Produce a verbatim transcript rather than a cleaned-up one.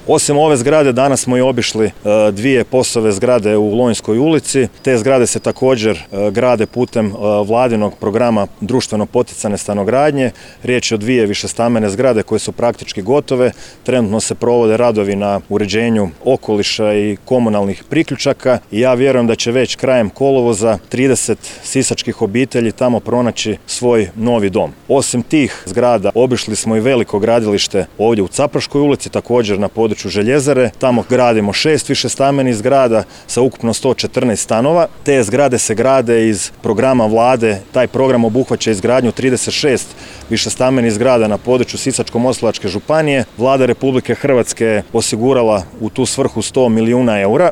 Osim ove zgrade danas smo i obišli dvije POS-ove zgrade u Lonjskoj ulici. Te zgrade se također grade putem vladinog programa društveno poticane stanogradnje. Riječ je o dvije višestambene zgrade koje su praktički gotove. Trenutno se provode radovi na uređenju okoliša i komunalnih priključaka i ja vjerujem da će već krajem kolovoza trideset sisačkih obitelji tamo pronaći svoj novi dom. Osim tih zgrada obišli smo i veliko gradilište ovdje u Capraškoj ulici, također na području Željezare. Tamo gradimo šest višestambenih zgrada sa ukupno sto četrnaest stanova. Te zgrade se grade iz programa vlade. Taj program obuhvaća izgradnju trideset šest višestambenih zgrada na području Sisačko-moslavačke županije. Vlada Republike Hrvatske je osigurala u tu svrhu sto milijuna eura.